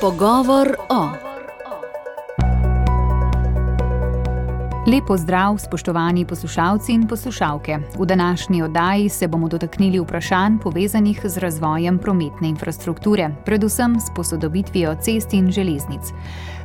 Pogovor o. Lep pozdrav, spoštovani poslušalci in poslušalke. V današnji oddaji se bomo dotaknili vprašanj povezanih z razvojem prometne infrastrukture, predvsem s posodobitvijo cest in železnic.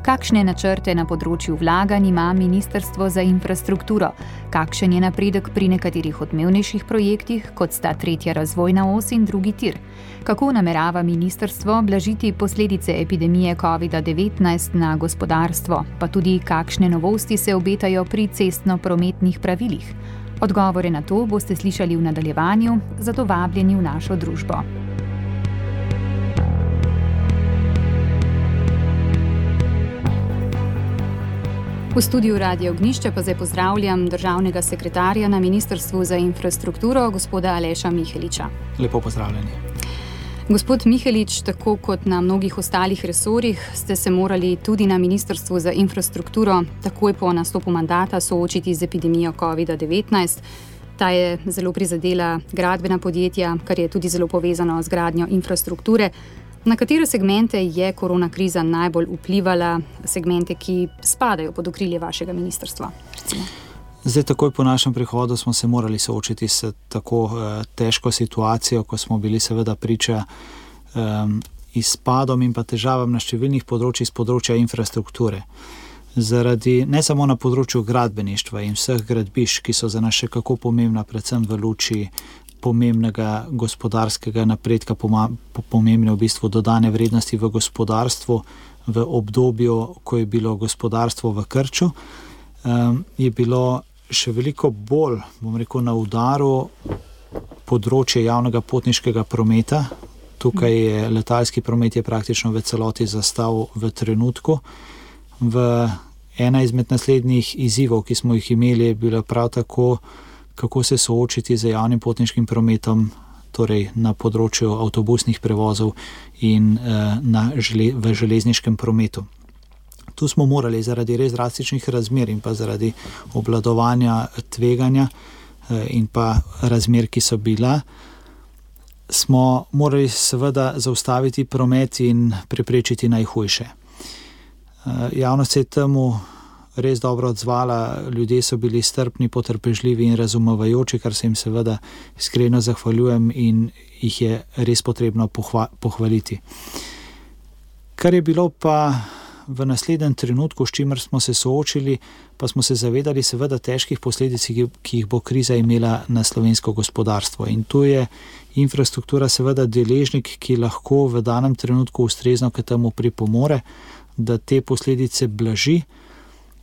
Kakšne načrte na področju vlaganj ima Ministrstvo za infrastrukturo? Kakšen je napredek pri nekaterih odmevnejših projektih, kot sta tretja razvojna os in drugi tir? Kako namerava ministrstvo blažiti posledice epidemije COVID-19 na gospodarstvo, pa tudi kakšne novosti se obetajo pri cestno-prometnih pravilih? Odgovore na to boste slišali v nadaljevanju, zato vabljeni v našo družbo. V studiu Radia Ognjišče pa zdaj pozdravljam državnega sekretarja na Ministrstvu za infrastrukturo, gospoda Aleša Miheliča. Lepo pozdravljeni. Gospod Mihelič, tako kot na mnogih ostalih resorjih, ste se morali tudi na Ministrstvu za infrastrukturo takoj po nastopu mandata soočiti z epidemijo COVID-19. Ta je zelo prizadela gradbena podjetja, kar je tudi zelo povezano z gradnjo infrastrukture. Na katere segmente je korona kriza najbolj vplivala, segmente, ki spadajo pod okrilje vašega ministrstva? Zdaj, takoj po našem prihodu smo se morali soočiti s tako težko situacijo, ko smo bili seveda priča izpadom in pa težavam na številnih področjih z področja infrastrukture. Zaradi, ne samo na področju gradbeništva in vseh gradbišč, ki so za nas še kako pomembna, predvsem v luči pomembnega gospodarskega napredka, pomembne v bistvu dodane vrednosti v gospodarstvu v obdobju, ko je bilo gospodarstvo v krču, je bilo še veliko bolj, na udaru področje javnega potniškega prometa. Tukaj je letalski promet je praktično v celoti zastal v trenutku. Ena izmed naslednjih izzivov, ki smo jih imeli, je bila prav tako, kako se soočiti z javnim potniškim prometom, torej na področju avtobusnih prevozov in v železniškem prometu. Tu smo morali zaradi res drastičnih razmer in pa zaradi obvladovanja tveganja in pa razmer, ki so bila, smo morali seveda zaustaviti promet in preprečiti najhujše. Javnost se je temu res dobro odzvala, ljudje so bili strpni, potrpežljivi in razumevajoči, kar se jim seveda iskreno zahvaljujem in jih je res potrebno pohvaliti. Kar je bilo pa v naslednjem trenutku, s čimer smo se soočili, pa smo se zavedali seveda težkih posledic, ki jih bo kriza imela na slovensko gospodarstvo. In tu je infrastruktura seveda deležnik, ki lahko v danem trenutku ustrezno k temu pripomore, da te posledice blaži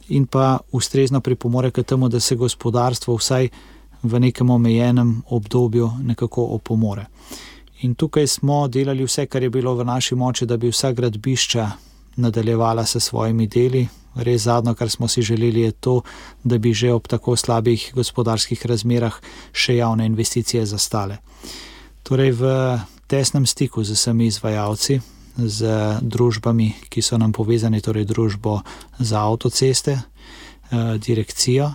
in pa ustrezno pripomore k temu, da se gospodarstvo vsaj v nekem omejenem obdobju nekako opomore. In tukaj smo delali vse, kar je bilo v naši moči, da bi vsa gradbišča nadaljevala se svojimi deli. Res zadnjo, kar smo si želeli, je to, da bi že ob tako slabih gospodarskih razmerah še javne investicije zastale. Torej v tesnem stiku z vsemi izvajalci, z družbami, ki so nam povezani, torej družbo za avtoceste, Direkcijo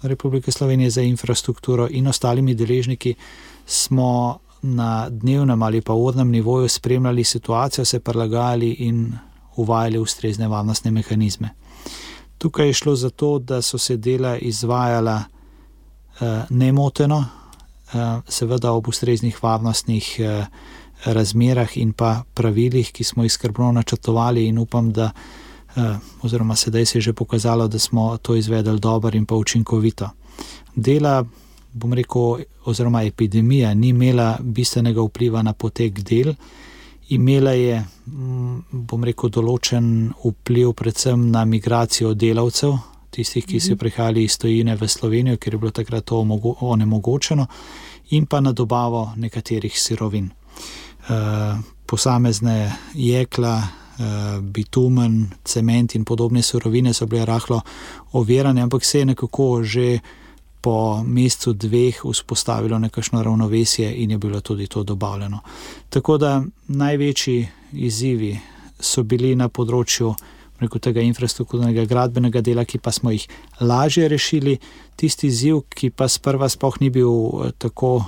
Republike Slovenije za infrastrukturo in ostalimi deležniki, smo na dnevnem ali pa urnem nivoju spremljali situacijo, se prilagajali in uvajali ustrezne varnostne mehanizme. Tukaj je šlo za to, da so se dela izvajala nemoteno, seveda ob ustreznih varnostnih razmerah in pa pravilih, ki smo jih skrbno načrtovali in upam, da oziroma sedaj se je že pokazalo, da smo to izvedli dobro in pa učinkovito. Dela, oziroma epidemija ni imela bistvenega vpliva na potek del, imela je, določen vpliv predvsem na migracijo delavcev, tistih, ki so prihajali iz tujine v Slovenijo, ker je bilo takrat to onemogočeno, in pa na dobavo nekaterih sirovin. Posamezne jekla, bitumen, cement in podobne surovine so bile rahlo ovirane, ampak se je nekako že po mesecu dveh vzpostavilo nekakšno ravnovesje in je bilo tudi to dobavljeno. Tako da največji izzivi so bili na področju tega infrastrukturnega gradbenega dela, ki pa smo jih lažje rešili. Tisti izziv, ki pa sprva sploh ni bil tako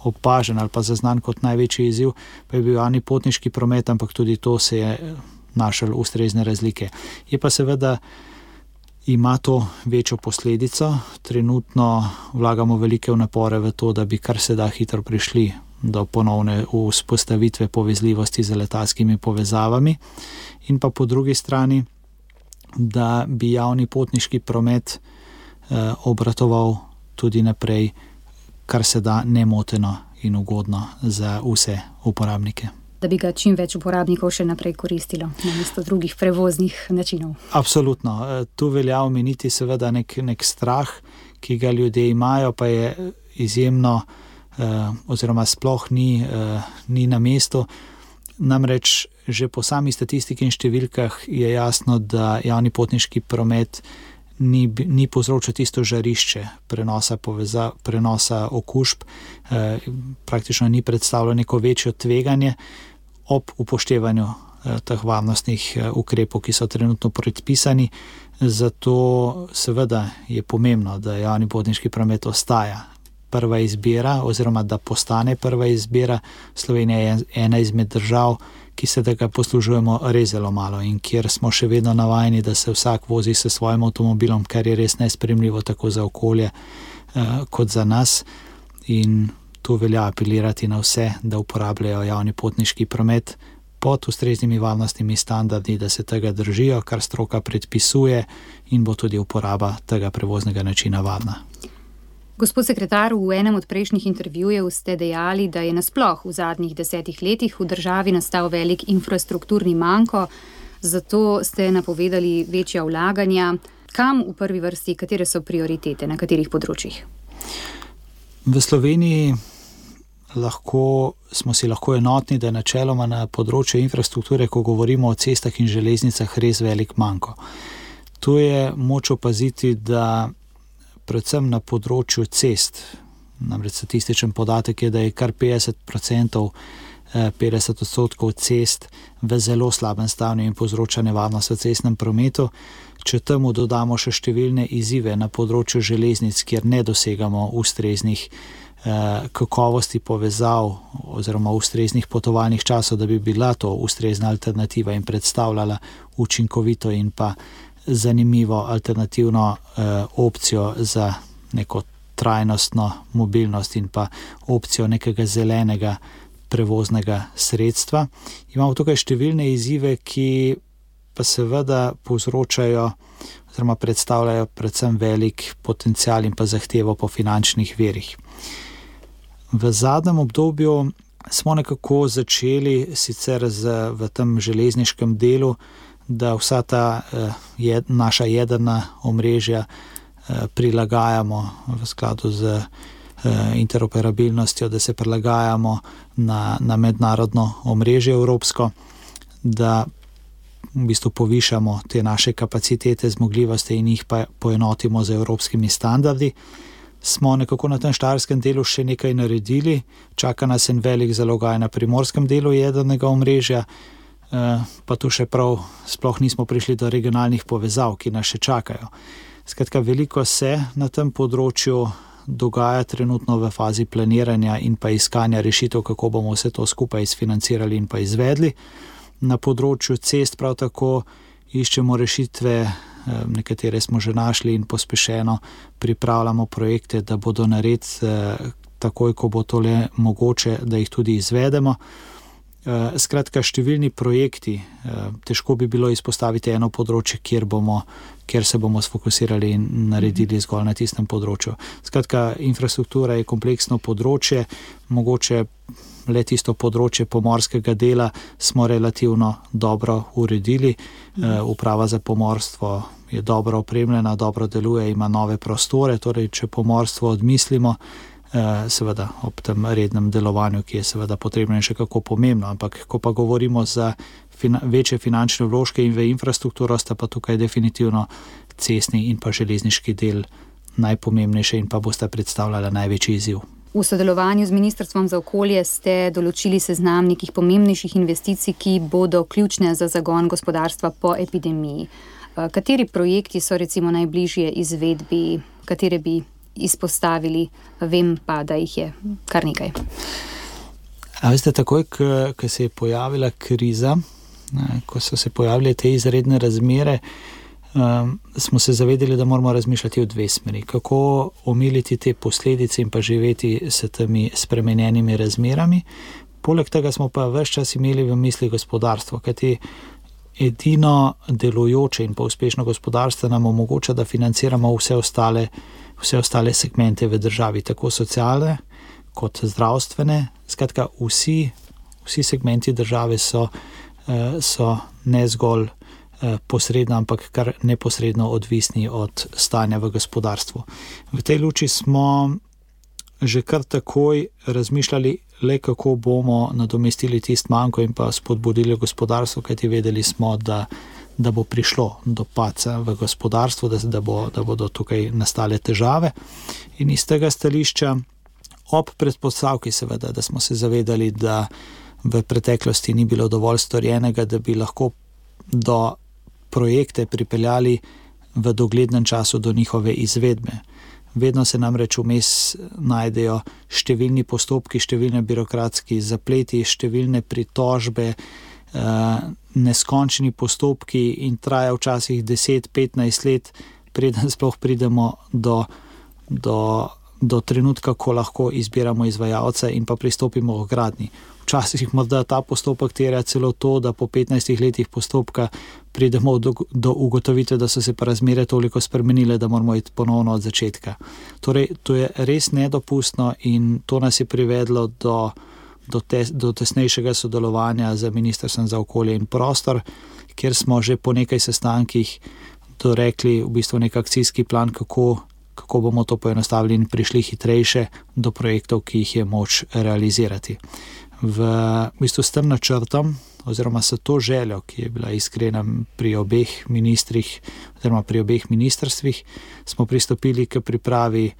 opažen ali pa zaznan kot največji izziv, pa je bil javni potniški promet, ampak tudi to se je našel ustrezne razlike. Je pa seveda, ima to večjo posledico. Trenutno vlagamo velike napore v to, da bi kar se da hitro prišli do ponovne vzpostavitve povezljivosti z letalskimi povezavami in pa po drugi strani, da bi javni potniški promet obratoval tudi naprej, kar se da nemoteno in ugodno za vse uporabnike. Da bi ga čim več uporabnikov še naprej koristilo namesto drugih prevoznih načinov. Absolutno. Tu velja omeniti seveda nek strah, ki ga ljudje imajo, pa je izjemno oziroma sploh ni na mestu. Namreč že po sami statistiki in številkah je jasno, da javni potniški promet ni povzročil tisto žarišče prenosa okužb, praktično ni predstavljalo neko večjo tveganje ob upoštevanju teh varnostnih ukrepov, ki so trenutno predpisani. Zato seveda je pomembno, da javni potniški promet ostaja prva izbira oziroma da postane prva izbira. Slovenija je ena izmed držav, ki se tega poslužujemo res zelo malo in kjer smo še vedno navajeni, da se vsak vozi s svojim avtomobilom, kar je res nesprejemljivo tako za okolje kot za nas. In tu velja apelirati na vse, da uporabljajo javni potniški promet pod ustreznimi varnostnimi standardi, da se tega držijo, kar stroka predpisuje in bo tudi uporaba tega prevoznega načina varna. Gospod sekretar, v enem od prejšnjih intervjujev ste dejali, da je nasploh v zadnjih 10 letih v državi nastal velik infrastrukturni manko, zato ste napovedali večja vlaganja. Kam v prvi vrsti, katere so prioritete, na katerih področjih? V Sloveniji smo si lahko enotni, da je načeloma na področju infrastrukture, ko govorimo o cestah in železnicah, res velik manko. Tu je moč opaziti, da predvsem na področju cest, namreč statističen podatek je, da je kar 50% cest v zelo slabem stanju in povzroča nevarnost v cestnem prometu. Če temu dodamo še številne izzive na področju železnic, kjer ne dosegamo ustreznih kakovosti povezav oziroma ustreznih potovalnih časov, da bi bila to ustrezna alternativa in predstavljala učinkovito in pa zanimivo alternativno opcijo za neko trajnostno mobilnost in pa opcijo nekega zelenega prevoznega sredstva. Imamo tukaj številne izzive, ki pa seveda povzročajo oziroma predstavljajo predvsem velik potencial in pa zahtevo po finančnih virih. V zadnjem obdobju smo nekako začeli sicer v tem železniškem delu, da vsa ta naša jedrna omrežja prilagajamo v skladu z interoperabilnostjo, da se prilagajamo na mednarodno omrežje evropsko, da v bistvu povišamo te naše kapacitete, zmogljivosti in jih pa poenotimo z evropskimi standardi. Smo nekako na tem štajerskem delu še nekaj naredili, čaka nas en velik zalogaj na primorskem delu jedrnega omrežja, pa tu še prav sploh nismo prišli do regionalnih povezav, ki nas še čakajo. Skratka, veliko se na tem področju dogaja trenutno v fazi planiranja in pa iskanja rešitev, kako bomo vse to skupaj izfinancirali in pa izvedli. Na področju cest prav tako iščemo rešitve, nekatere smo že našli in pospešeno pripravljamo projekte, da bodo narediti takoj, ko bo to le mogoče, da jih tudi izvedemo. Skratka, številni projekti, težko bi bilo izpostaviti eno področje, kjer se bomo sfokusirali in naredili zgolj na tistem področju. Skratka, infrastruktura je kompleksno področje, mogoče le tisto področje pomorskega dela smo relativno dobro uredili. Uprava za pomorstvo je dobro opremljena, dobro deluje, ima nove prostore, torej če pomorstvo odmislimo, seveda ob tem rednem delovanju, ki je seveda potrebno in še kako pomembno, ampak ko pa govorimo za večje finančne vložke in v infrastrukturo, sta pa tukaj definitivno cestni in pa železniški del najpomembnejše in pa bosta predstavljala največji izziv. V sodelovanju z Ministrstvom za okolje ste določili seznam nekih pomembnejših investicij, ki bodo ključne za zagon gospodarstva po epidemiji. Kateri projekti so recimo najbližje izvedbi, katere bi izpostavili, vem pa, da jih je kar nekaj. A veste, takoj, ko se je pojavila kriza, ko so se pojavile te izredne razmere, smo se zavedali, da moramo razmišljati v dve smeri. Kako omiliti te posledice in pa živeti s temi spremenjenimi razmerami. Poleg tega smo pa ves čas imeli v misli gospodarstvo, kajti edino delujoče in pa uspešno gospodarstvo nam omogoča, da financiramo vse ostale segmente v državi, tako socialne kot zdravstvene. Skratka, vsi segmenti države so ne zgolj posredno, ampak kar neposredno odvisni od stanja v gospodarstvu. V tej luči smo že kar takoj razmišljali, le kako bomo nadomestili tisto manko in pa spodbudili gospodarstvo, kajti vedeli smo, da bo prišlo do padca v gospodarstvu, da bodo tukaj nastale težave. In iz tega stališča, ob predpostavki seveda, da smo se zavedali, da v preteklosti ni bilo dovolj storjenega, da bi lahko do projekte pripeljali v doglednem času do njihove izvedbe. Vedno se namreč vmes najdejo številni postopki, številne birokratski zapleti, številne pritožbe, neskončni postopki in traja včasih 10-15 let, preden sploh pridemo do trenutka, ko lahko izbiramo izvajalca in pa pristopimo k gradnji. Včasih morda ta postopek terja celo to, da po 15 letih postopka pridemo do ugotovitve, da so se pa razmere toliko spremenile, da moramo iti ponovno od začetka. Torej, to je res nedopustno in to nas je privedlo do tesnejšega sodelovanja z Ministrstvom za okolje in prostor, kjer smo že po nekaj sestankih dorekli v bistvu nek akcijski plan, kako bomo to poenostavili in prišli hitrejše do projektov, ki jih je moč realizirati. V bistvu s tem načrtom oziroma s to željo, ki je bila iskrena pri obeh ministrih oziroma pri obeh ministrstvih, smo pristopili k pripravi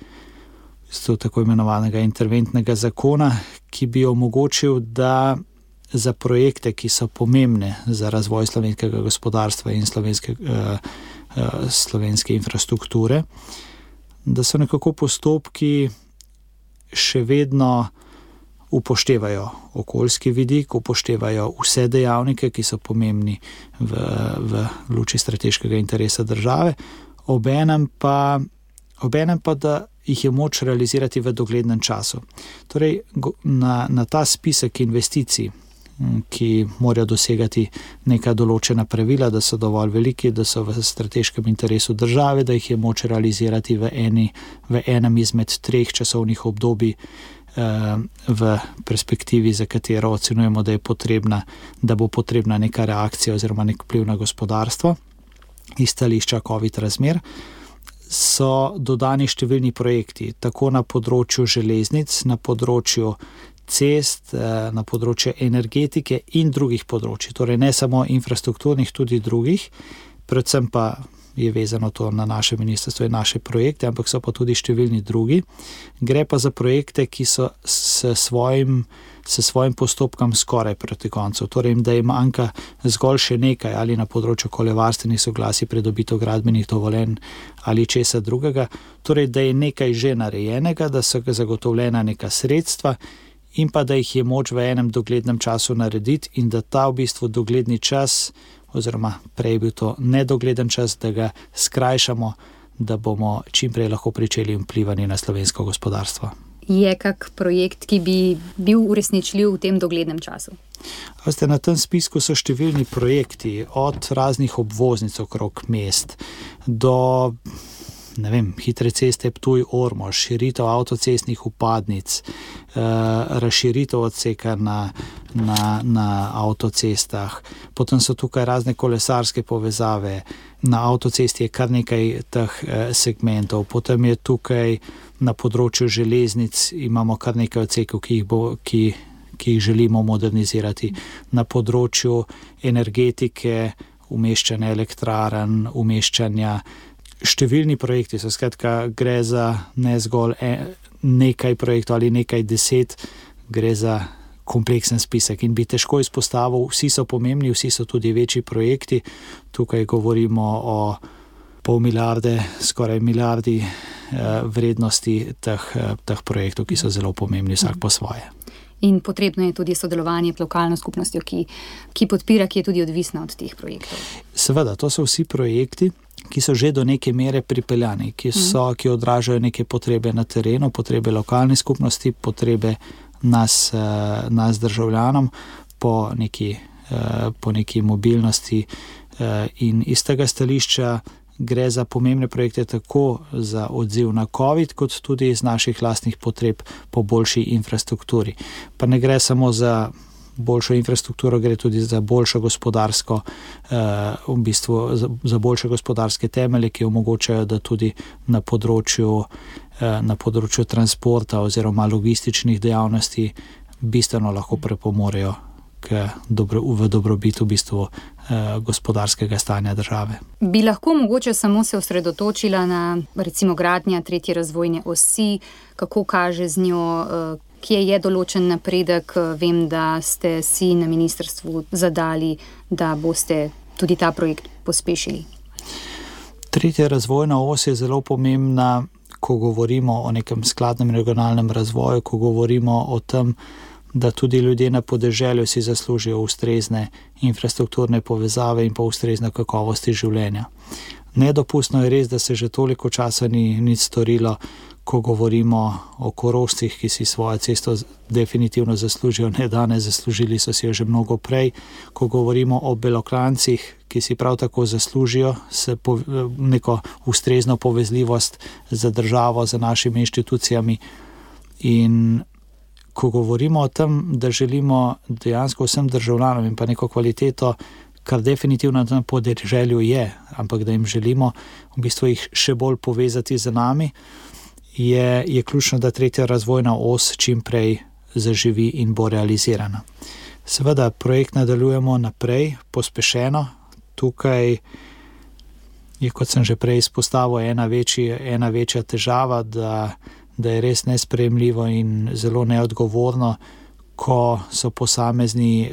tako imenovanega interventnega zakona, ki bi omogočil, da za projekte, ki so pomembne za razvoj slovenskega gospodarstva in slovenske infrastrukture, da so nekako postopki še vedno upoštevajo okoljski vidik, upoštevajo vse dejavnike, ki so pomembni v luči strateškega interesa države, obenem pa, da jih je moč realizirati v doglednem času. Torej, na ta spisek investicij, ki morajo dosegati neka določena pravila, da so dovolj veliki, da so v strateškem interesu države, da jih je moč realizirati v enem izmed 3 časovnih obdobij v perspektivi, za katero ocenujemo, da bo potrebna neka reakcija oziroma nek vpliv na gospodarstvo iz stališča COVID razmer, so dodani številni projekti, tako na področju železnic, na področju cest, na področju energetike in drugih področji. Torej ne samo infrastrukturnih, tudi drugih, predvsem pa je vezano to na naše ministrstvo in naše projekte, ampak so pa tudi številni drugi. Gre pa za projekte, ki so s svojim postopkom skoraj proti koncu. Torej, da jim manjka zgolj še nekaj ali na področju okoljevarstvenih soglasij, pridobitev gradbenih dovoljenj ali česa drugega. Torej, da je nekaj že narejenega, da so zagotovljena neka sredstva in pa da jih je moč v enem doglednem času narediti in da ta v bistvu dogledni čas oziroma prej bil to nedogleden čas, da ga skrajšamo, da bomo čim prej lahko pričeli vplivati na slovensko gospodarstvo. Je kak projekt, ki bi bil uresničljiv v tem doglednem času? Veste, na tem spisku so številni projekti, od raznih obvoznic okrog mest do hitre ceste Ptuj-Ormož, širitev avtocestnih vpadnic, razširitev odseka na avtocestah. Potem so tukaj razne kolesarske povezave, na avtocesti je kar nekaj teh segmentov. Potem je tukaj na področju železnic, imamo kar nekaj odsekov, ki jih želimo modernizirati. Na področju energetike, umeščanja elektrarn, umeščanja številni projekti so, skratka, gre za ne zgolj nekaj projektov ali nekaj 10, gre za kompleksen spisek in bi težko izpostavil, vsi so pomembni, vsi so tudi večji projekti. Tukaj govorimo o pol milijarde, skoraj milijardi vrednosti teh projektov, ki so zelo pomembni vsak po svoje. In potrebno je tudi sodelovanje z lokalno skupnostjo, ki podpira, ki je tudi odvisna od teh projektov. Seveda, to so vsi projekti, ki so že do neke mere pripeljani, ki odražajo neke potrebe na terenu, potrebe lokalne skupnosti, potrebe nas državljanom po neki mobilnosti, in iz tega stališča gre za pomembne projekte tako za odziv na COVID, kot tudi iz naših lastnih potreb po boljši infrastrukturi. Pa ne gre samo za boljšo infrastrukturo, gre tudi za boljšo gospodarsko, v bistvu za boljše gospodarske temelje, ki omogočajo, da tudi na področju transporta oziroma logističnih dejavnosti bistveno lahko prepomorejo v dobrobit v bistvu gospodarskega stanja države. Bi lahko mogoče samo se osredotočila na recimo gradnja 3. razvojne osi, kako kaže z njo, kje je določen napredek. Vem, da ste si na ministrstvu zadali, da boste tudi ta projekt pospešili. 3. razvojna os je zelo pomembna, ko govorimo o nekem skladnem regionalnem razvoju, ko govorimo o tem, da tudi ljudje na podeželju si zaslužijo ustrezne infrastrukturne povezave in pa ustrezne kakovosti življenja. Nedopustno je res, da se že toliko časa ni nič storilo, ko govorimo o Korošcih, ki si svojo cesto definitivno zaslužijo, ne danes, zaslužili so si jo že mnogo prej. Ko govorimo o Belokranjcih, ki si prav tako zaslužijo neko ustrezno povezljivost za državo, za našimi inštitucijami. In ko govorimo o tem, da želimo dejansko vsem državljanom in pa neko kvaliteto, kar definitivno na tem podeželju je, ampak da jim želimo v bistvu jih še bolj povezati z nami, je ključno, da 3. razvojna os čim prej zaživi in bo realizirana. Seveda, projekt nadaljujemo naprej, pospešeno. Tukaj je, kot sem že prej izpostavil, ena večja težava, da je res nesprejemljivo in zelo neodgovorno, ko so posamezni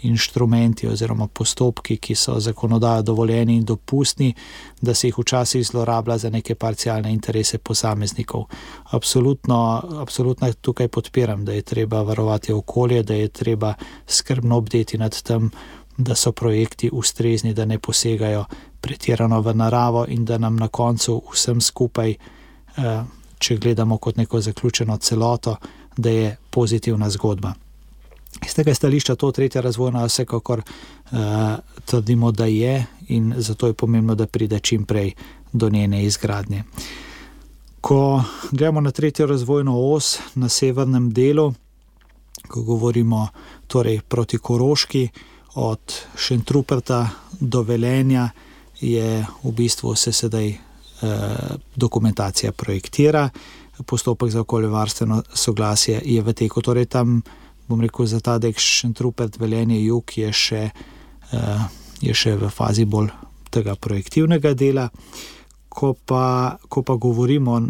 inštrumenti oziroma postopki, ki so zakonodajo dovoljeni in dopustni, da se jih včasih zlorablja za neke parcialne interese posameznikov. Absolutno tukaj podpiram, da je treba varovati okolje, da je treba skrbno bdeti nad tem, da so projekti ustrezni, da ne posegajo pretirano v naravo in da nam na koncu vsem skupaj, če gledamo kot neko zaključeno celoto, da je pozitivna zgodba. Iz tega stališča to 3. razvojna vsekakor trdimo, da je, in zato je pomembno, da pride čim prej do njene izgradnje. Ko gledamo na 3. razvojno os na severnem delu, ko govorimo torej proti Koroški, od Šentruperta do Velenja, je v bistvu se sedaj dokumentacija projektira, postopek za okoljevarstveno soglasje je v teku. Torej tam, bom rekel, za ta del Šentrupert, Velenje, jug je še v fazi bolj tega projektivnega dela. Ko pa govorimo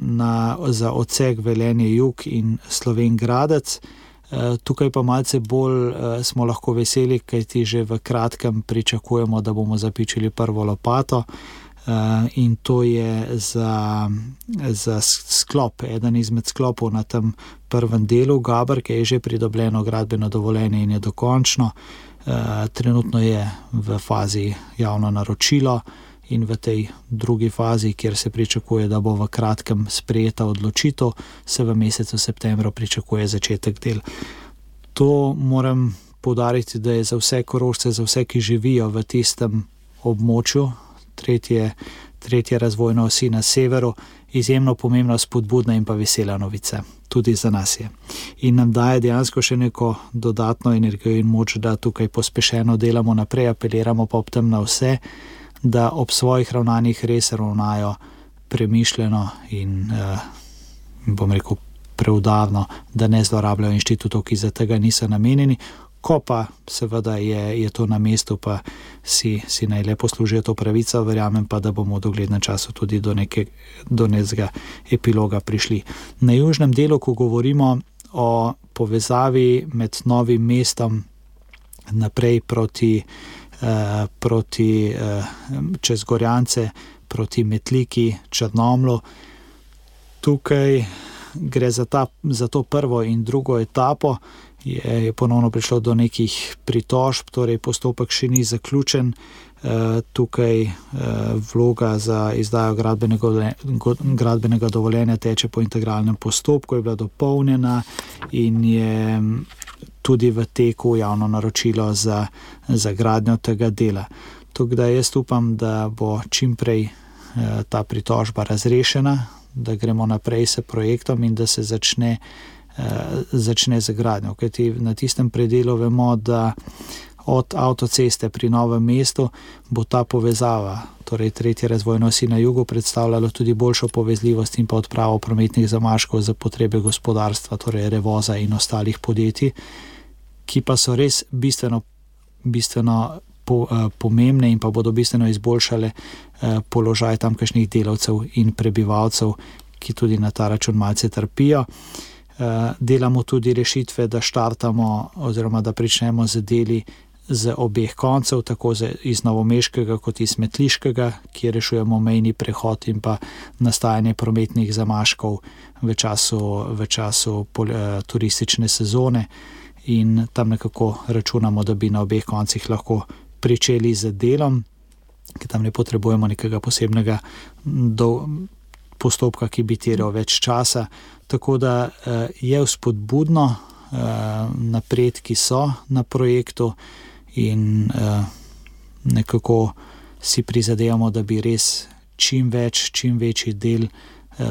za odsek Velenje jug in Slovenj Gradec, tukaj pa malce bolj smo lahko veseli, kajti že v kratkem pričakujemo, da bomo zapičili prvo lopato, in to je za sklop, eden izmed sklopov na tem prvem delu Gaber, ki je že pridobljeno gradbeno dovoljenje in je dokončno. Trenutno je v fazi javno naročilo in v tej drugi fazi, kjer se pričakuje, da bo v kratkem sprejeta odločitev, se v mesecu septembru pričakuje začetek del. To moram poudariti, da je za vse Korošce, za vse, ki živijo v tistem območju, tretje razvojne osi na severu, izjemno pomembna, spodbudna in pa vesela novica. Tudi za nas je. In nam daje dejansko še neko dodatno energijo in moč, da tukaj pospešeno delamo naprej, apeliramo pa ob tem na vse, da ob svojih ravnanjih res ravnajo premišljeno in bom rekel preudarno, da ne zlorabljajo inštitutov, ki za tega niso namenjeni. Ko pa seveda je to na mestu, pa si naj le poslužijo to pravico, verjamem pa, da bomo v doglednem času tudi do nekega epiloga prišli. Na južnem delu, ko govorimo o povezavi med Novim mestom naprej proti čez Gorjance proti Metliki, Črnomlju. Tukaj gre za to prvo in drugo etapo, je ponovno prišlo do nekih pritožb, torej postopek še ni zaključen. Tukaj vloga za izdajo gradbenega dovoljenja teče po integralnem postopku, je bila dopolnjena in je tudi v teku javno naročilo za gradnjo tega dela. Tako da jaz upam, da bo čimprej ta pritožba razrešena, da gremo naprej s projektom in da se začne z gradnjo. Kajti na tistem predelu vemo, da od avtoceste pri Novem mestu bo ta povezava, torej 3. razvojna osi na jugu, predstavljalo tudi boljšo povezljivost in pa odpravo prometnih zamaškov za potrebe gospodarstva, torej Revoza in ostalih podjetij, ki pa so res bistveno pomembne in pa bodo bistveno izboljšale položaj tamkajšnjih delavcev in prebivalcev, ki tudi na ta račun malce trpijo. Delamo tudi rešitve, da štartamo oziroma da pričnemo z deli z obeh koncev, tako iz novomeškega kot iz metliškega, kjer rešujemo mejni prehod in pa nastajanje prometnih zamaškov v času turistične sezone, in tam nekako računamo, da bi na obeh koncih lahko pričeli z delom, ker tam ne potrebujemo nekega posebnega postopka, ki bi terjal več časa. Tako da je vzpodbudno, napredki so na projektu in nekako si prizadevamo, da bi res čim večji del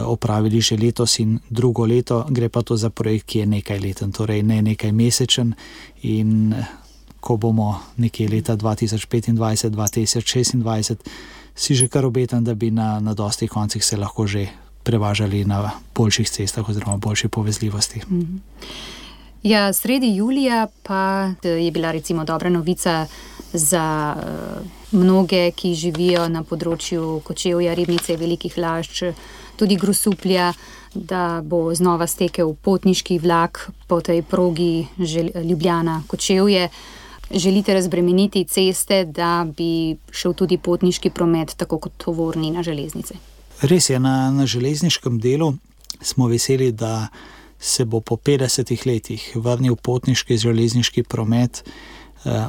opravili že letos in drugo leto. Gre pa to za projekt, ki je nekaj leten, torej ne nekaj mesečen, in ko bomo nekje leta 2025-2026, si že kar obetam, da bi na dostih koncih se lahko že prevažali na boljših cestah oziroma boljši povezljivosti. Ja, sredi julija pa je bila recimo dobra novica za mnoge, ki živijo na področju Kočevja, Ribnice, Velikih Lašč, tudi Grosuplja, da bo znova stekel potniški vlak po tej progi Ljubljana-Kočevje. Želite razbremeniti ceste, da bi šel tudi potniški promet tako kot tovorni na železnice? Res je, na železniškem delu smo veseli, da se bo po 50 letih vrnil potniški železniški promet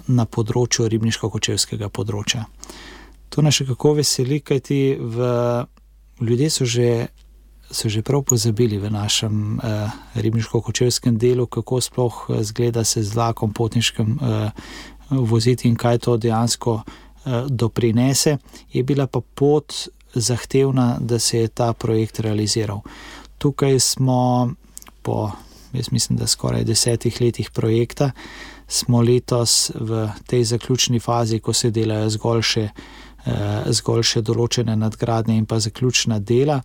na področju ribniško-kočevskega področja. To nas še kako veseli, kajti ljudje so že prav pozabili v našem ribniško-kočevskem delu, kako sploh zgleda se z vlakom potniškem voziti in kaj to dejansko doprinese. Je bila pa pot zahtevna, da se je ta projekt realiziral. Tukaj smo po, jaz mislim, da skoraj 10 letih projekta, smo letos v tej zaključni fazi, ko se delajo zgolj še določene nadgradnje in pa zaključna dela.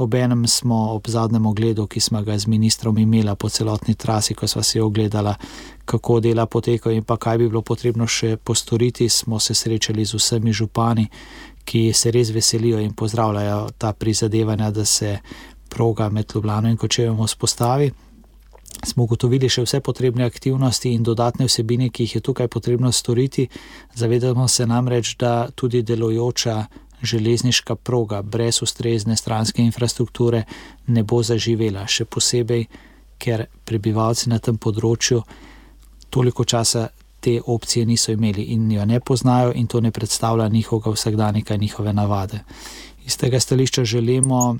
Obenem smo ob zadnjem ogledu, ki smo ga z ministrom imela po celotni trasi, ko sva si ogledala, kako dela potekajo in pa kaj bi bilo potrebno še postoriti, smo se srečali z vsemi župani, ki se res veselijo in pozdravljajo ta prizadevanja, da se proga med Ljubljano in Kočevjem vzpostavi. Smo ugotovili še vse potrebne aktivnosti in dodatne vsebine, ki jih je tukaj potrebno storiti. Zavedamo se namreč, da tudi delujoča železniška proga brez ustrezne stranske infrastrukture ne bo zaživela, še posebej, ker prebivalci na tem področju toliko časa te opcije niso imeli in jo ne poznajo in to ne predstavlja njihovega vsakdanika, njihove navade. Iz tega stališča želimo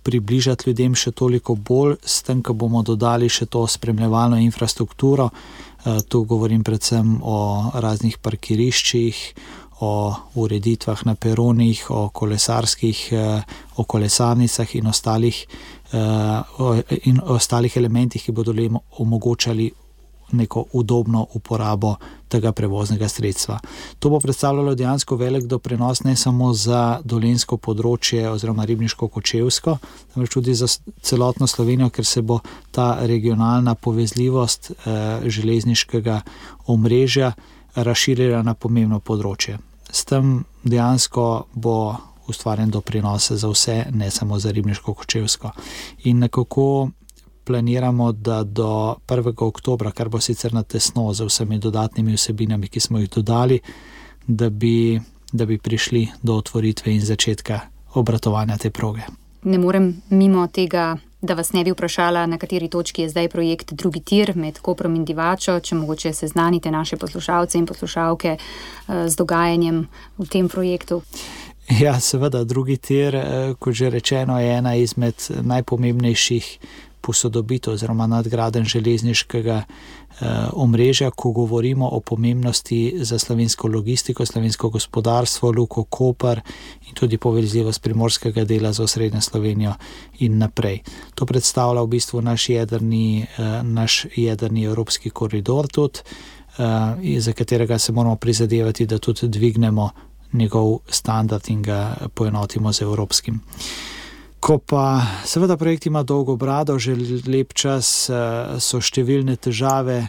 približati ljudem še toliko bolj, s tem, ko bomo dodali še to spremljevalno infrastrukturo. Tu govorim predvsem o raznih parkiriščih, o ureditvah na peronih, o kolesarnicah in ostalih elementih, ki bodo omogočali neko udobno uporabo tega prevoznega sredstva. To bo predstavljalo dejansko velik doprinos ne samo za dolenjsko področje oziroma ribniško-kočevsko, temveč tudi za celotno Slovenijo, ker se bo ta regionalna povezljivost železniškega omrežja razširila na pomembno področje. S tem dejansko bo ustvarjen doprinos za vse, ne samo za ribniško-kočevsko. In nekako planiramo, da do 1. oktobra, kar bo sicer na tesno z vsemi dodatnimi vsebinami, ki smo jih dodali, da bi da bi prišli do otvoritve in začetka obratovanja te proge. Ne morem mimo tega, da vas ne bi vprašala, na kateri točki je zdaj projekt drugi tir med Koprom in Divačo, če mogoče seznanite naše poslušalce in poslušalke z dogajanjem v tem projektu. Ja, seveda, drugi tir, kot že rečeno, je ena izmed najpomembnejših posodobitev oziroma nadgradenj železniškega omrežja, ko govorimo o pomembnosti za slovensko logistiko, slovensko gospodarstvo, Luko Koper in tudi povezljivost primorskega dela z osrednjo Slovenijo in naprej. To predstavlja v bistvu naš jedrni evropski koridor tudi, za katerega se moramo prizadevati, da tudi dvignemo njegov standard in ga poenotimo z evropskim. Ko pa seveda projekt ima dolgo brado, že lep čas, so številne težave,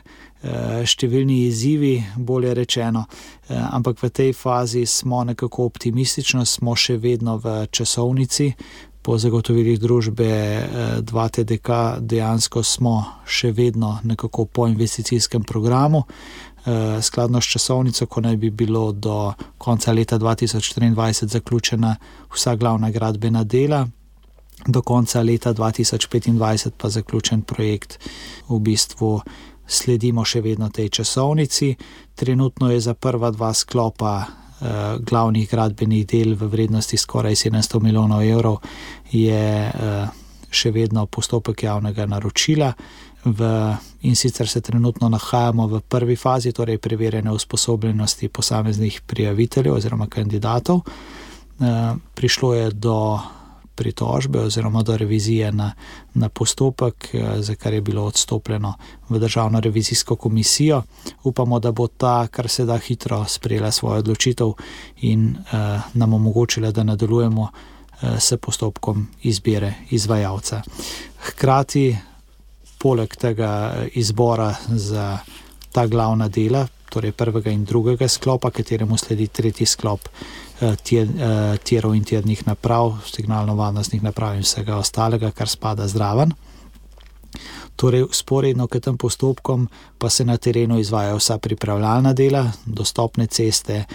številni izzivi, bolje rečeno, ampak v tej fazi smo nekako optimistično, smo še vedno v časovnici. Po zagotovilih družbe 2TDK dejansko smo še vedno nekako po investicijskem programu, skladno s časovnico, ko naj bi bilo do konca leta 2023 zaključena vsa glavna gradbena dela, do konca leta 2025 pa zaključen projekt. V bistvu sledimo še vedno tej časovnici. Trenutno je za prva dva sklopa glavnih gradbenih del v vrednosti skoraj 700 milijonov evrov je še vedno postopek javnega naročila. In sicer se trenutno nahajamo v prvi fazi, torej preverjene usposobljenosti posameznih prijaviteljev oziroma kandidatov. Prišlo je do pritožbe oziroma do revizije na postopek, za kar je bilo odstopljeno v Državno revizijsko komisijo. Upamo, da bo ta kar se da hitro sprejela svojo odločitev in nam omogočila, da nadaljujemo s postopkom izbire izvajalca. Hkrati, poleg tega izbora za ta glavna dela, torej prvega in drugega sklopa, kateremu sledi tretji sklop tirov in tirnih naprav, signalno-varnostnih naprav in vsega ostalega, kar spada zraven. Torej, sporedno k tem postopkom pa se na terenu izvajajo vsa pripravljalna dela, dostopne ceste.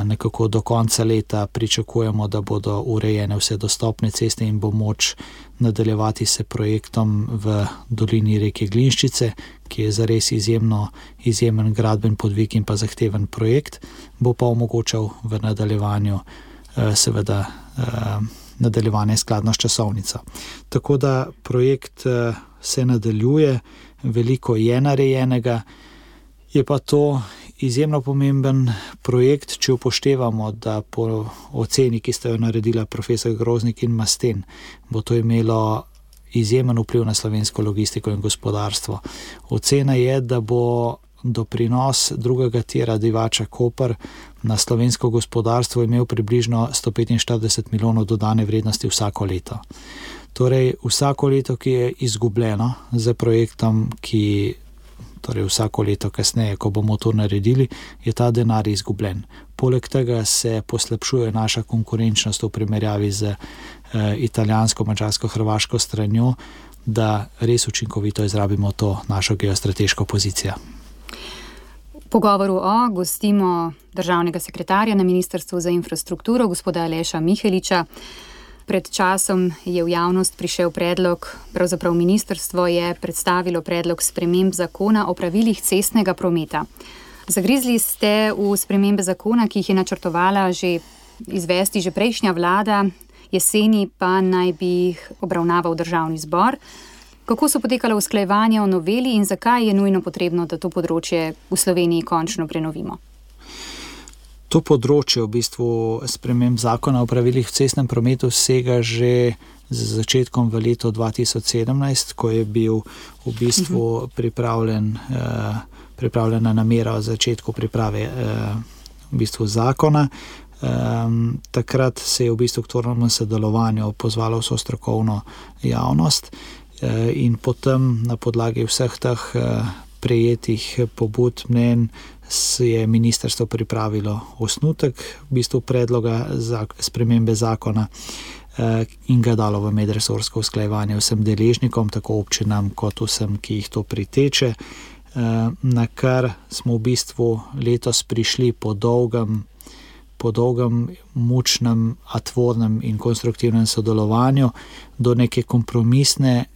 Nekako do konca leta pričakujemo, da bodo urejene vse dostopne ceste in bo moč nadaljevati se projektom v dolini reke Glinščice, ki je zares izjemen gradben podvig in pa zahteven projekt, bo pa omogočal v nadaljevanju seveda nadaljevanje skladno s časovnico. Tako da projekt se nadaljuje, veliko je narejenega, je pa to izjemno pomemben projekt, če upoštevamo, da po oceni, ki sta jo naredila profesor Groznik in Masten, bo to imelo izjemen vpliv na slovensko logistiko in gospodarstvo. Ocena je, da bo doprinos drugega tira Divača-Koper na slovensko gospodarstvo imel približno 145 milijonov dodane vrednosti vsako leto. Torej, vsako leto, ki je izgubljeno za projektom, torej vsako leto kasneje, ko bomo to naredili, je ta denar izgubljen. Poleg tega se poslabšuje naša konkurenčnost v primerjavi z italijansko, madžarsko, hrvaško stranjo, da res učinkovito izrabimo to našo geostrateško pozicijo. V pogovoru gostimo državnega sekretarja na Ministrstvu za infrastrukturo, gospoda Aleša Miheliča. Pred časom je v javnost prišel predlog, pravzaprav ministrstvo je predstavilo predlog sprememb zakona o pravilih cestnega prometa. Zagrizli ste v spremembe zakona, ki jih je načrtovala izvesti že prejšnja vlada, jeseni pa naj bi jih obravnaval Državni zbor. Kako so potekala usklajevanja o noveli in zakaj je nujno potrebno, da to področje v Sloveniji končno prenovimo? To področje v bistvu sprememb zakona o pravilih v cestnem prometu sega že z začetkom v leto 2017, ko je bil v bistvu pripravljena namera o začetku priprave v bistvu zakona. Takrat se je v bistvu k tvornemu sodelovanju pozvalo vso strokovno javnost in potem na podlagi vseh teh prejetih pobud mnenj je ministrstvo pripravilo osnutek v bistvu predloga za spremembe zakona in ga dalo v medresorsko usklajevanje vsem deležnikom, tako občinam kot vsem, ki jih to priteče, na kar smo v bistvu letos prišli po po dolgem, mučnem, tvornem in konstruktivnem sodelovanju do neke kompromisne,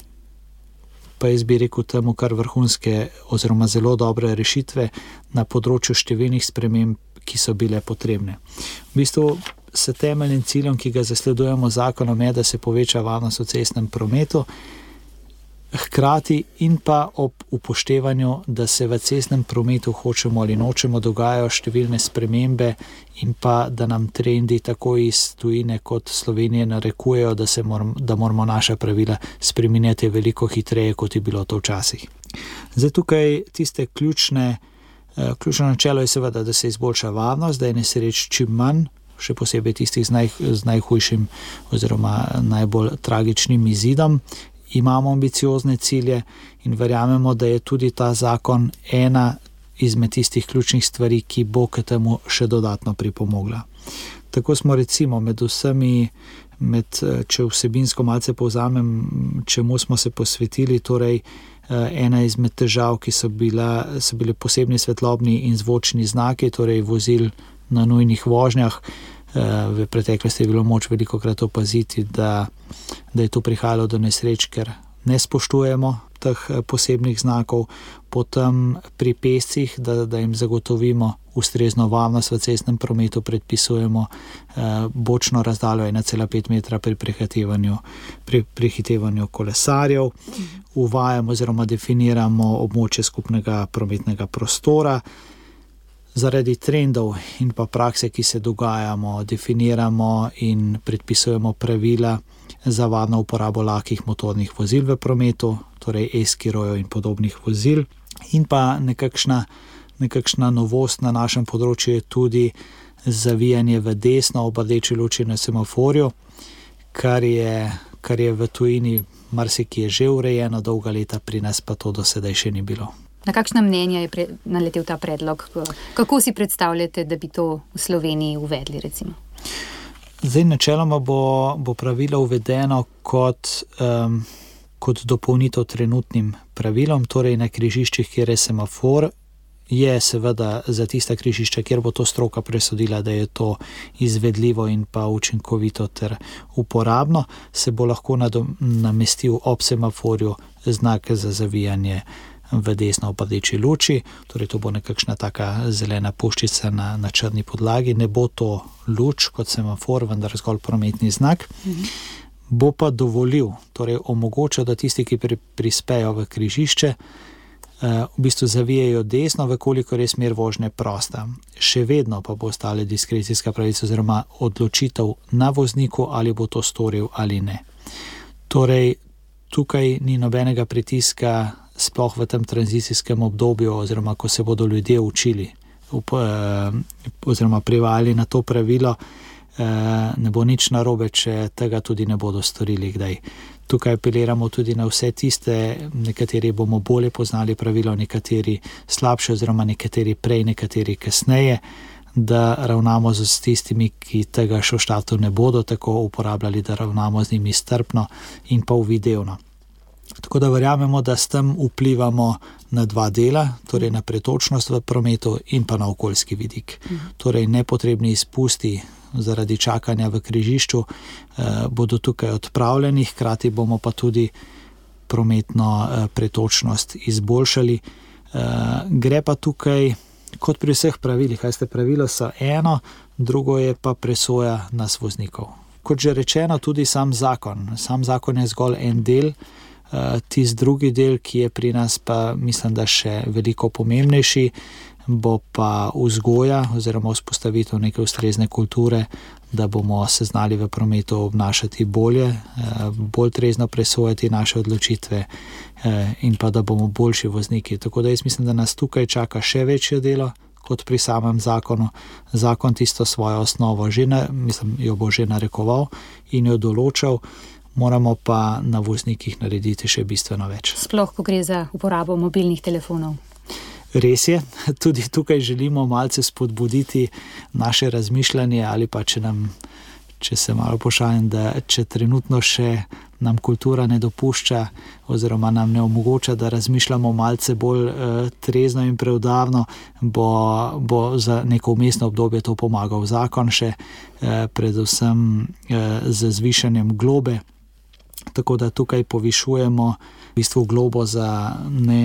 pa jaz bi rekel temu kar vrhunske oziroma zelo dobre rešitve na področju številnih sprememb, ki so bile potrebne. V bistvu s temeljnim ciljem, ki ga zasledujemo z zakonom, je, da se poveča varnost v cestnem prometu, hkrati in pa ob upoštevanju, da se v cestnem prometu hočemo ali nočemo dogajajo številne spremembe in pa da nam trendi tako iz tujine kot Slovenije narekujejo, da moramo naša pravila spreminjati veliko hitreje, kot je bilo to včasih. Zdaj tukaj tiste ključno načelo je seveda, da se izboljša varnost, da je nesreč čim manj, še posebej tistih z najhujšim oziroma najbolj tragičnim izidom. Imamo ambiciozne cilje in verjamemo, da je tudi ta zakon ena izmed tistih ključnih stvari, ki bo k temu še dodatno pripomogla. Tako smo recimo če vsebinsko malce povzamem, čemu smo se posvetili, torej ena izmed težav, ki so bile posebni svetlobni in zvočni znaki, torej vozil na nujnih vožnjah. V preteklosti je bilo moč velikokrat opaziti, da je tu prihajalo do nesreč, ker ne spoštujemo teh posebnih znakov. Potem pri pešcih, da jim zagotovimo ustrezno varnost v cestnem prometu, predpisujemo bočno razdaljo 1,5 metra pri prehitevanju kolesarjev. Uvajamo oziroma definiramo območje skupnega prometnega prostora. Zaradi trendov in pa prakse, ki se dogajamo, definiramo in predpisujemo pravila za varno uporabo lahkih motornih vozil v prometu, torej e-skirojev in podobnih vozil. In pa nekakšna novost na našem področju je tudi zavijanje v desno ob rdeči luči na semaforju, kar je v tujini marsikje že urejeno dolga leta, pri nas pa to do sedaj še ni bilo. Na kakšna mnenja je naletel ta predlog? Kako si predstavljate, da bi to v Sloveniji uvedli, recimo? Zdaj, načeloma bo pravilo uvedeno kot dopolnitev trenutnim pravilom, torej na križiščih, kjer je semafor, je seveda za tista križišča, kjer bo to stroka presodila, da je to izvedljivo in pa učinkovito ter uporabno, se bo lahko namestil ob semaforju znak za zavijanje v desno ob rdeči luči, torej to bo nekakšna taka zelena puščica na črni podlagi, ne bo to luč kot semafor, vendar zgolj prometni znak. Bo pa dovolil, torej omogoča, da tisti, ki prispejo v križišče, v bistvu zavijajo desno, vekolikor je smer vožnje prosta. Še vedno pa bo ostala diskrecijska pravica oziroma odločitev na vozniku, ali bo to storil ali ne. Torej, tukaj ni nobenega pritiska, sploh v tem tranzicijskem obdobju, oziroma ko se bodo ljudje učili oziroma privajali na to pravilo, ne bo nič narobe, če tega tudi ne bodo storili kdaj. Tukaj apeliramo tudi na vse tiste, nekateri bomo bolje poznali pravilo, nekateri slabše oziroma nekateri prej, nekateri kasneje, da ravnamo z tistimi, ki tega še v štartu ne bodo tako uporabljali, da ravnamo z njimi strpno in pa uvidevno. Tako da verjamemo, da s tem vplivamo na dva dela, torej na pretočnost v prometu in pa na okoljski vidik. Torej nepotrebni izpusti zaradi čakanja v križišču bodo tukaj odpravljeni, hkrati bomo pa tudi prometno pretočnost izboljšali. Gre pa tukaj, kot pri vseh pravilih, pravila so eno, drugo je pa presoja nas voznikov. Kot že rečeno, tudi sam zakon je zgolj en del, tisti drugi del, ki je pri nas pa mislim, da še veliko pomembnejši, bo pa vzgoja oziroma vzpostavitev neke ustrezne kulture, da bomo se znali v prometu obnašati bolje, bolj trezno presojati naše odločitve in pa da bomo boljši vozniki. Tako da jaz mislim, da nas tukaj čaka še večje delo kot pri samem zakonu. Zakon tisto svojo osnovo jo bo že narekoval in jo določal, moramo pa na voznikih narediti še bistveno več. Sploh, ko gre za uporabo mobilnih telefonov. Res je, tudi tukaj želimo malce spodbuditi naše razmišljanje ali pa če če se malo pošalim, da če trenutno še nam kultura ne dopušča oziroma nam ne omogoča, da razmišljamo malce bolj trezno in preudarno, bo za neko vmesno obdobje to pomagal zakon še, predvsem z zvišanjem globe. Tako da tukaj povišujemo v bistvu globo za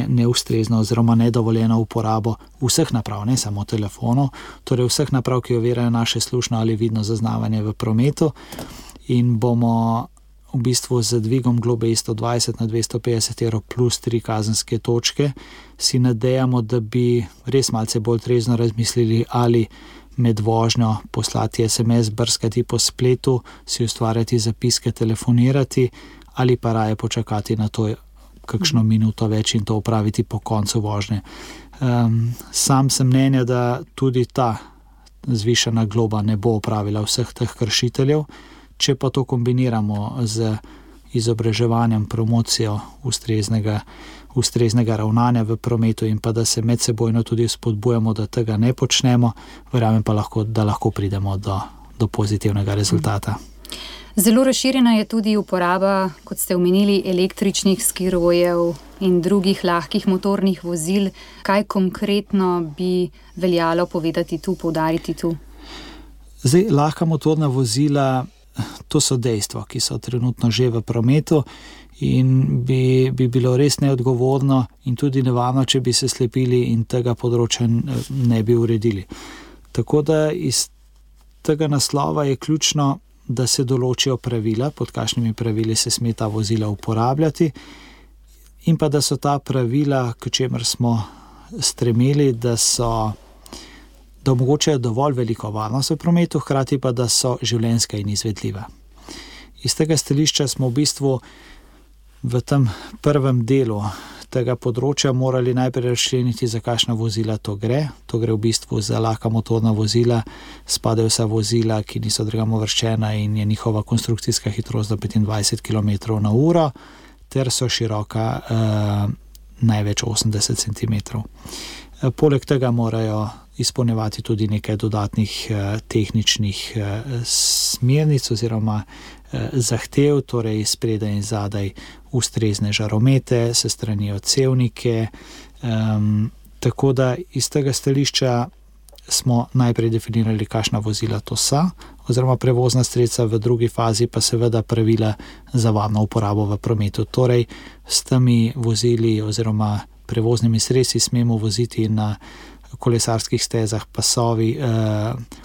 neustrezno oziroma nedovoljeno uporabo vseh naprav, ne samo telefonov, torej vseh naprav, ki ovirajo naše slušno ali vidno zaznavanje v prometu, in bomo v bistvu z dvigom globe iz 120 na 250 evrov plus 3 kazenske točke si nadejamo, da bi res malce bolj trezno razmislili, ali med vožnjo poslati SMS, brskati po spletu, si ustvarjati zapiske, telefonirati, ali pa raje počakati na to kakšno minuto več in to opraviti po koncu vožnje. Sam sem mnenja, da tudi ta zvišana globa ne bo opravila vseh teh kršiteljev, če pa to kombiniramo z izobraževanjem, promocijo ustreznega ravnanja v prometu in pa da se medsebojno tudi spodbujamo, da tega ne počnemo, verjamem pa da lahko pridemo do pozitivnega rezultata. Zelo razširjena je tudi uporaba, kot ste omenili, električnih skirojev in drugih lahkih motornih vozil. Kaj konkretno bi veljalo povedati tu, poudariti tu? Zdaj, lahka motorna vozila, to so dejstva, ki so trenutno že v prometu in bi bilo res neodgovorno in tudi nevarno, če bi se slepili in tega področja ne bi uredili. Tako da iz tega naslova je ključno, da se določijo pravila, pod kakšnimi pravili se sme ta vozila uporabljati, in pa da so ta pravila, k čemer smo stremeli, da omogočajo dovolj veliko varnost v prometu, hkrati pa da so življenjska in izvedljiva. Iz tega stališča smo v bistvu v tem prvem delu tega področja morali najprej razčleniti, za kakšna vozila to gre. To gre v bistvu za lahka motorna vozila, spadajo vsa vozila, ki niso drugam uvrščena in je njihova konstrukcijska hitrost do 25 km/h, ter so široka največ 80 cm. Poleg tega morajo izpolnjevati tudi nekaj dodatnih tehničnih smernic oziroma zahtev, torej spredaj in zadaj ustrezne žaromete, se strani odsevnike. Tako da iz tega stališča smo najprej definirali, kakšna vozila to so, oziroma prevozna sredstva, v drugi fazi pa seveda pravila za varno uporabo v prometu. Torej, s temi vozili oziroma prevoznimi sredstvi smemo voziti na kolesarskih stezah,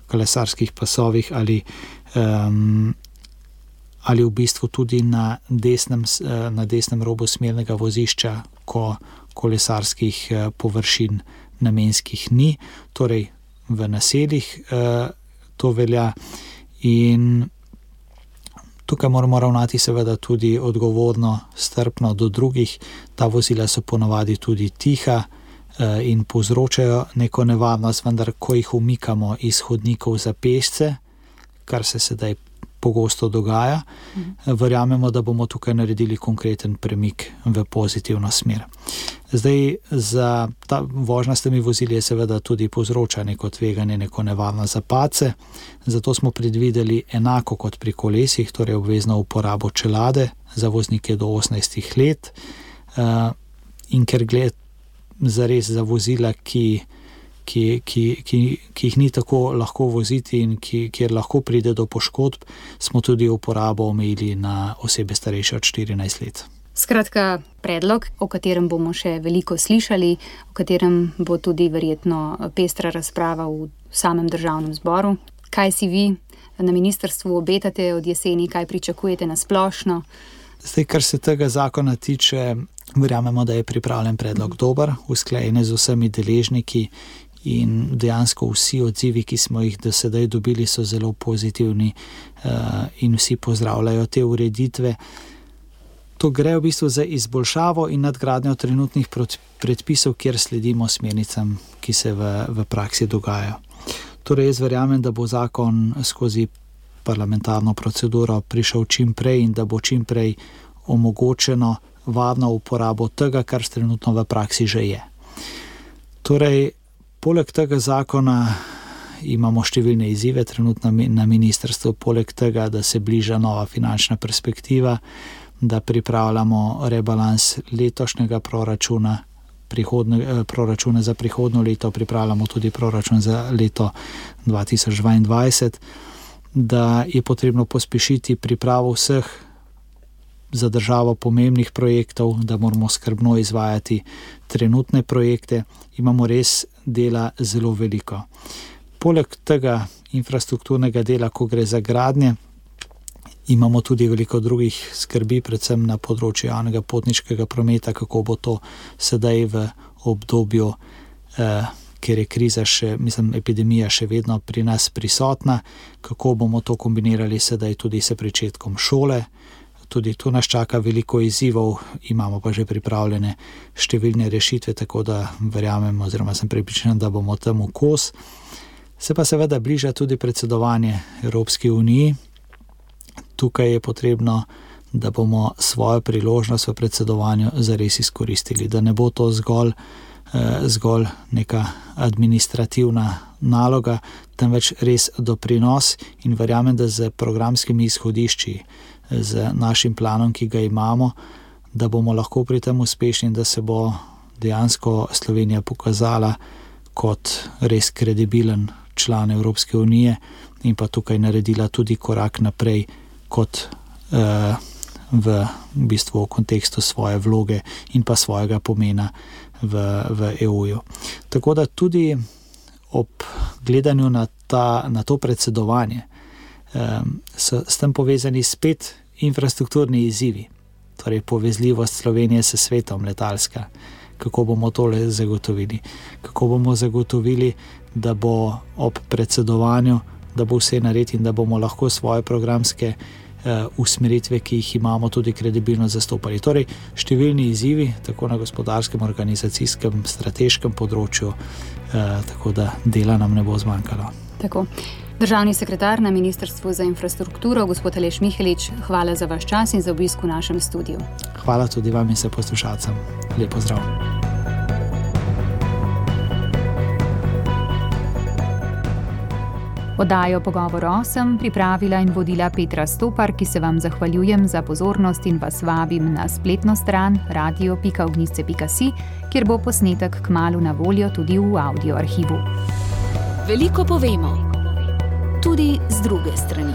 kolesarskih pasovih ali v bistvu tudi na desnem robu smernega vozišča, ko kolesarskih površin namenskih ni, torej v naseljih to velja. In tukaj moramo ravnati seveda tudi odgovorno, strpno do drugih. Ta vozila so ponavadi tudi tiha in povzročajo neko nevarnost, vendar ko jih umikamo iz hodnikov za pešce, kar se sedaj pogosto dogaja, verjamemo, da bomo tukaj naredili konkreten premik v pozitivno smer. Zdaj, za ta vožnja s temi vozili je seveda tudi povzroča neko tveganje, neko nevarnost za padce, zato smo predvideli enako kot pri kolesih, torej obvezno uporabo čelade za voznike do 18 let, in ker gre zares za vozila, ki jih ni tako lahko voziti in kjer lahko pride do poškodb, smo tudi uporabo omejili na osebe starejše od 14 let. Skratka, predlog, o katerem bomo še veliko slišali, o katerem bo tudi verjetno pestra razprava v samem državnem zboru. Kaj si vi na ministrstvu obetate od jeseni, kaj pričakujete na splošno? Zdaj, kar se tega zakona tiče, verjamemo, da je pripravljen predlog dober, usklajen z vsemi deležniki in dejansko vsi odzivi, ki smo jih do sedaj dobili, so zelo pozitivni in vsi pozdravljajo te ureditve. To gre v bistvu za izboljšavo in nadgradnjo trenutnih predpisov, kjer sledimo smernicam, ki se v praksi dogajajo. Torej, jaz verjamem, da bo zakon skozi parlamentarno proceduro prišel čim prej in da bo čim prej omogočeno varno uporabo tega, kar trenutno v praksi že je. Torej, poleg tega zakona imamo številne izzive trenutno na ministrstvu, poleg tega, da se bliža nova finančna perspektiva, da pripravljamo rebalans letošnjega proračuna, proračune za prihodnje leto, pripravljamo tudi proračun za leto 2022, da je potrebno pospešiti pripravo vseh za državo pomembnih projektov, da moramo skrbno izvajati trenutne projekte. Imamo res dela zelo veliko. Poleg tega infrastrukturnega dela, ko gre za gradnje, imamo tudi veliko drugih skrbi, predvsem na področju javnega potniškega prometa, kako bo to sedaj v obdobju, ker je kriza epidemija še vedno pri nas prisotna, kako bomo to kombinirali sedaj tudi s pričetkom šole. Tudi tu nas čaka veliko izzivov, imamo pa že pripravljene številne rešitve, tako da verjamem oziroma sem prepričan, da bomo temu kos. Se pa seveda bliža tudi predsedovanje Evropski uniji. Tukaj je potrebno, da bomo svojo priložnost v predsedovanju zares izkoristili, da ne bo to zgolj neka administrativna naloga, temveč res doprinos, in verjamem, da z programskimi izhodišči, z našim planom, ki ga imamo, da bomo lahko pri tem uspešni, da se bo dejansko Slovenija pokazala kot res kredibilen član Evropske unije in pa tukaj naredila tudi korak naprej kot v bistvu v kontekstu svoje vloge in pa svojega pomena v EU-ju. Tako da tudi ob gledanju na to predsedovanje so s tem povezani spet infrastrukturni izzivi, torej povezljivost Slovenije s svetom letalska. Kako bomo tole zagotovili? Kako bomo zagotovili, da bo ob predsedovanju, da bo vse nared in da bomo lahko svoje programske usmeritve, ki jih imamo, tudi kredibilno zastopali. Torej, številni izzivi, tako na gospodarskem, organizacijskem, strateškem področju, tako da dela nam ne bo zmanjkalo. Tako. Državni sekretar na Ministrstvu za infrastrukturo, gospod Aleš Mihelič, hvala za vaš čas in za obisk v našem studiu. Hvala tudi vam in se poslušalcem. Lep pozdrav. Oddajo Pogovor 8 pripravila in vodila Petra Stopar, ki se vam zahvaljujem za pozornost in vas vabim na spletno stran radio.ognjice.si, kjer bo posnetek kmalu na voljo tudi v audio arhivu. Veliko povemo, tudi z druge strani.